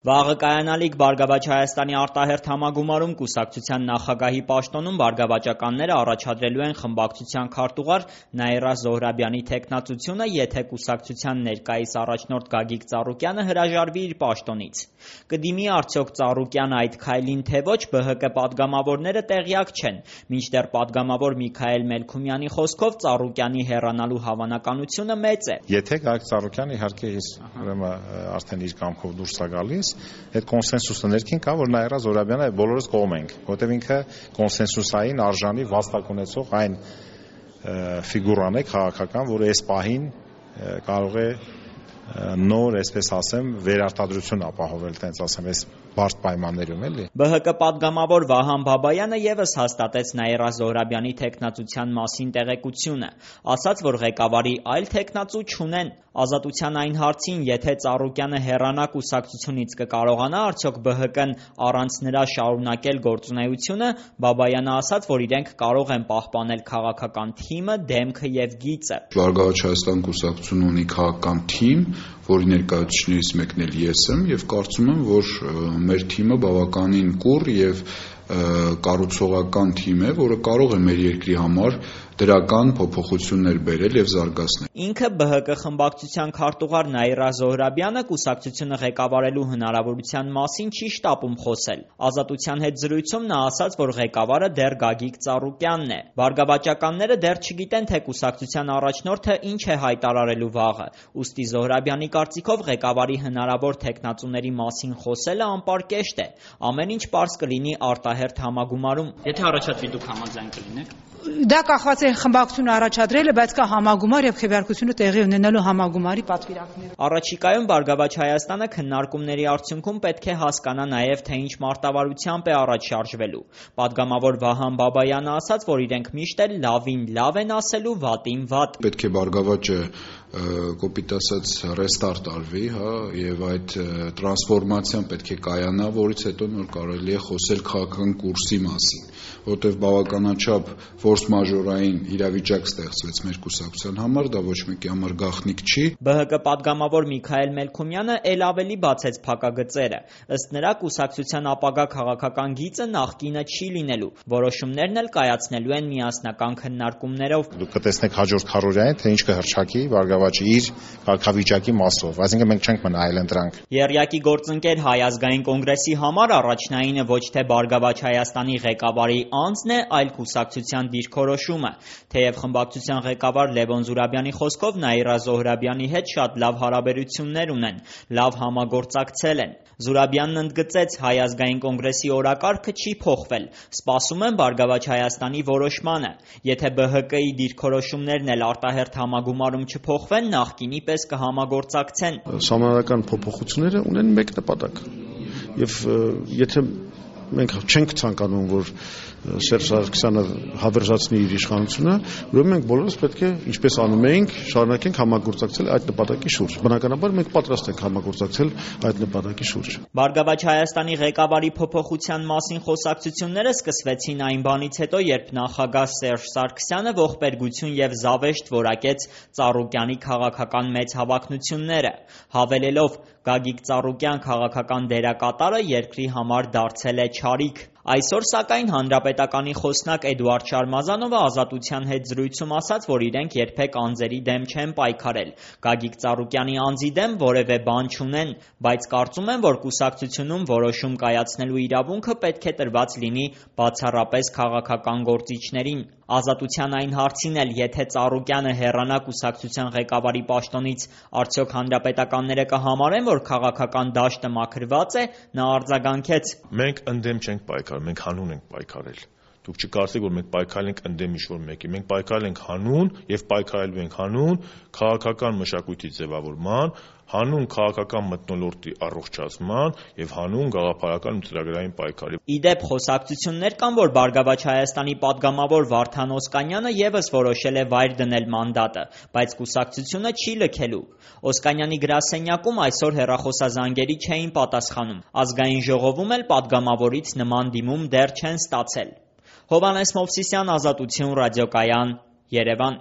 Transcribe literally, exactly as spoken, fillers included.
Վաղը կայանալիք Բարգավաճ Հայաստանի արտահերթ համագումարում կուսակցության նախագահի պաշտոնում բարգավաճականները առաջադրելու են խմբակցության քարտուղար Նաիրա Զոհրաբյանի թեկնածությունը, եթե կուսակցության ներկայիս առաջնորդ Գագիկ Ծառուկյանը հրաժարվի իր պաշտոնից։ Կդիմի արդյոք Ծառուկյանը այդ քայլին, թե ոչ, ԲՀԿ падգամավորները տեղյակ չեն, մինչդեռ падգամավոր Միքայել Մելքումյանի խոսքով Ծառուկյանի հեռանալու հավանականությունը մեծ է։ Եթե Գագիկ Ծառուկյանը իհարկե արդեն իր կամքով դուրս է գալիս, այդ կոնսենսուսը ներքին կա, որ Նաիրա Զոհրաբյանը բոլորս կողմ ենք, որտեղ ինքը կոնսենսուսային արժանի վաստակ ունեցող այն ֆիգուրան է քաղաքական, որը այս պահին կարող է նոր, այսպես ասեմ, վերարտադրություն ապահովել, տենց ասեմ, այս բարդ պայմաններում էլի։ ԲՀԿ падգամավոր Վահան Բաբայանը ևս հաստատեց Նաիրա Զոհրաբյանի թեկնածության մասին տեղեկությունը, ասաց, որ ղեկավարի այլ թեկնածու չունեն։ Ազատության այն հարցին, եթե Ծառուկյանը հեռանա կուսակցությունից, կկարողանա արդյոք ԲՀԿ-ն առանց նրա շարունակել գործունեությունը, Բաբայանը ասաց, որ իրենք կարող են պահպանել քաղաքական թիմը, դեմքը եւ գիծը։ Բարգավաճ Հայաստան կուսակցությունը ունի քաղաքական թիմ, որի ներկայացուցիչներից մեկն էլ ես եմ, եւ կարծում եմ, որ մեր թիմը բավականին կուռ եւ կառուցողական թիմ է, որը կարող է մեր երկրի համար դրական փոփոխություններ բերել եւ զարգացնել։ Ինքը ԲՀԿ խմբակցության քարտուղար Նաիրա Զոհրաբյանը կուսակցությունը ղեկավարելու հնարավորության մասին չի շտապում խոսել։ Ազատության հետ զրույցում նա ասաց, որ ղեկավարը դեռ Գագիկ Ծառուկյանն է։ Բարգավաճականները դեռ չգիտեն, թե կուսակցության առաջնորդը ինչ է հայտարարելու վաղը։ Ուստի Զոհրաբյանի կարծիքով ղեկավարի հնարավոր թեկնածուների մասին խոսելը անպարկեշտ է։ Ամեն ինչ պարզ կլինի արտահերթ համագումարում։ Եթե առաջադրի, դուք համաձայն կլինեք։ Դա կախված է խմբակցությունը առաջադրելը, բայց կա համագումար եւ քվեարկությունը տեղի ունենալու համագումարի պատվիրակներ։ Առաջիկայում Բարգավաճ Հայաստանը քննարկումների արդյունքում պետք է հասկանա նաեւ, թե ինչ մարտավարությամբ է առաջ շարժվելու։ Պատգամավոր Վահան Բաբայանը ասաց, որ իրենք միշտ էլ լավին լավ են ասելու, վատին վատ։ Պետք է Բարգավաճը կոպիտ ասած ռեստարտ արվի, հա, եւ այդ տրանսֆորմացիան պետք է կայանա, որից հետո նոր կարելի է խոսել քաղաքական կուրսի մասին, որտեղ բավականաչափ ֆորս մաժորային իրավիճակ ստեղծվեց մեր կուսակցության համար, դա ոչ մեկի համար գաղտնիք չի։ ԲՀԿ падգամավոր Միքայել Մելքումյանը ել ավելի բացեց փակագծերը։ Ըստ նրա, կուսակցության ապագա քաղաքական գիծը նախկինը չի լինելու։ Որոշումներն էլ կայացնելու են միասնական քննարկումներով։ Դուք կտեսնեք հաջորդ քառօրյային, թե ինչ կհրճակի Բարգավաճը իր կարգավիճակի մասով, այսինքն մենք չենք մնա այլընտրանք։ Եռյակի գործընկեր Հայ ազգային կոնգրեսի համար առաջնայինը ոչ թե Բարգավաճ Հայաստանի ղեկավարի անձն է, այլ կուսակցության դիրքորոշումը։ Թեև խմբակցության ղեկավար Լևոն Զուրաբյանի խոսքով Նաիրա Զոհրաբյանի հետ շատ լավ հարաբերություններ ունեն, լավ համագործակցել են։ Զուրաբյանն ընդգծեց, Հայ ազգային կոնգրեսի օրակարգը չի փոխվել, սպասում են Բարգավաճ Հայաստանի որոշմանը։ Եթե ԲՀԿ-ի դիրքորոշումներն էլ արտահերթ համագումարում չփոխվեն, նախկինի պես կհամագործակցեն։ Սահմանադրական փոփոխությունները ունեն մեկ նպատակ։ Եվ եթե մենք չենք ցանկանում, որ Սերժ Սարգսյանը հավերժացնի իր իշխանությունը, ուրեմն մենք բոլորս պետք է, ինչպես անում էինք, շարունակենք համագործակցել այդ նպատակի շուրջ։ Բնականաբար մենք պատրաստ ենք համագործակցել այդ նպատակի շուրջ։ Բարգավաճ Հայաստանի ղեկավարի փոփոխության մասին խոսակցությունները սկսվեցին այն բանից հետո, երբ նախագահ Սերժ Սարգսյանը ողբերգություն եւ զավեշտ որակեց Ծառուկյանի քաղաքական մեծ հավակնությունները, հավելելով Գագիկ Ծառուկյան քաղաքական դերակատարը երկրի համար դարձել է չարիք։ Այսօր, սակայն, Հանրապետականի խոսնակ Էդուարդ Շարմազանովը Ազատության հետ զրույցում ասաց, որ իրենք երբեք անձերի դեմ չեն պայքարել, Գագիկ Ծառուկյանի անձի դեմ որևէ բան չունեն, բայց կարծում են, որ կուսակցությունում որոշում կայացնելու իրավունքը պետք է տրված լինի բացառապես քաղաքական գործիչներին։ Ազատության այն հարցին էլ, եթե Ծառուկյանը հեռանա կուսակցության ղեկավարի պաշտոնից, արդյոք հանրապետականները կհամարեն, որ քաղաքական դաշտը մաքրված է, նա արձագանքեց. Մենք ընդդեմ չենք պայքարել, մենք հանուն ենք պայքարել։ Դուք չկարծեք, որ մենք պայքարել ենք ընդդեմ ինչ-որ մեկի, մենք պայքարել ենք հանուն եւ պայքարելու ենք հանուն քաղաքական մշակույթի ձևավորման, հանուն քաղաքական մթնոլորտի առողջացման եւ հանուն գաղափարական ու ծրագրային պայքարի։ Իդեպ խոսակցություններ կան, որ Բարգավաճ Հայաստանի падգամավոր Վարդան Օսկանյանը եւս որոշել է վայր դնել մանդատը, բայց կուսակցությունը չի լքելու։ Օսկանյանի գրասենյակում այսօր հեռախոսազանգերի չէին պատասխանում։ Ազգային ժողովում էլ падգամավորից նման դիմում դեռ չեն ստացել։ Հովհաննես Մովսիսյան, Ազատություն, ռադիոկայան, Երևան։